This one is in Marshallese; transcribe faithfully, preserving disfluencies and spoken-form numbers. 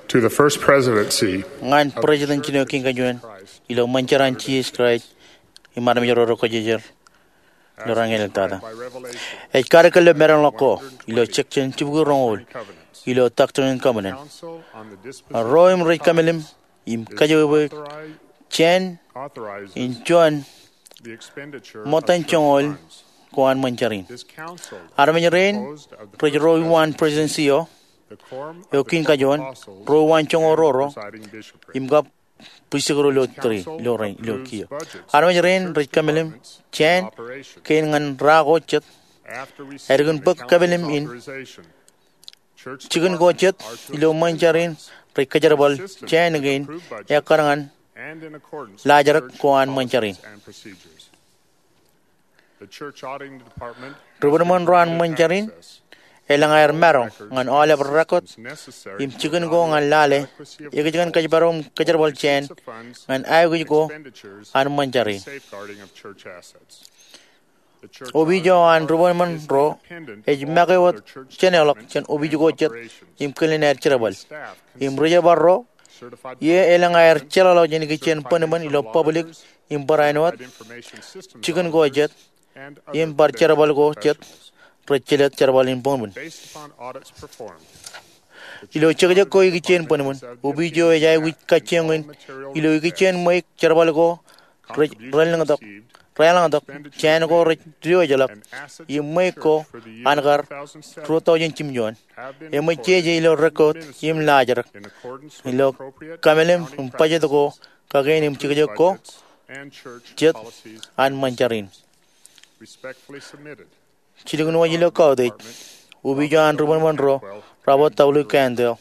To the First Presidency ñan President Jino Kiiñ Kajuon ilo ṃōn jar an Jisōs Kraist im armej ro rej kōjjejer ilo raan in ḷōmṇak. Ej kadeḷọk maroñ ḷọk ko ilo section jibukwi roñoul ilo Doctrine and Covenants. Ro im rej kōmālim im kajjojo jāān in juon ṃōttan joñoul ko an ṃōn jar in. Armej rein rej ro uwaan presidency eo, eo kiiñ kajuon, ro uwaan joñoul roro, im kab pristut ro ilo tōre ilo rein ilo kiiō. Armej rein rej kōmālim jāān kein ñan ra ko jet. Ālikin bōk kōmālim in, jikin ko jet ilo ṃōn jar in rej kōjerbal jāān kein ekkar ñan laajrak ko an ṃōn jar in. Ri-bōnbōn ro an ṃōn jar in elōñ aer maroñ ñan aolep record im jikin ko ñan lale ekijkan kōjparok im kōjerbal jāān ñan aikuj ko an ṃōn jar in. Opiij eo an ri-bōnbōn ro ej make wōt jeneḷọk jān opiij ko jet im kilen aer jerbal. Im ri-jerbal ro ie elōñ aer jeḷāḷọkjeṇ ikijjien bōnbōn ilo public im barāinwōt, jikin ko jet, im bar jerbal ko jet rej jelōt jerbal in bōnbōn. Ilo jekjek ko ikijjien bōnbōn, opiij eo ej aikuj kajjioñ in ilo ikijjien ṃweiuk jerbal ko rej raelōñtok, raelōñtok, jāān ko rej diwōjḷọk, im ṃweiuk ko an kar ruo tọujin jimjuon, eṃōj jeje ilo record im laajrak ilo kōmālim im budget ko kakein im jekjek ko jet an ṃōn jar in. Jilkinwōj ilo kautiej, opiij eo an ri-bōnbōn ro, Robert W. Candell,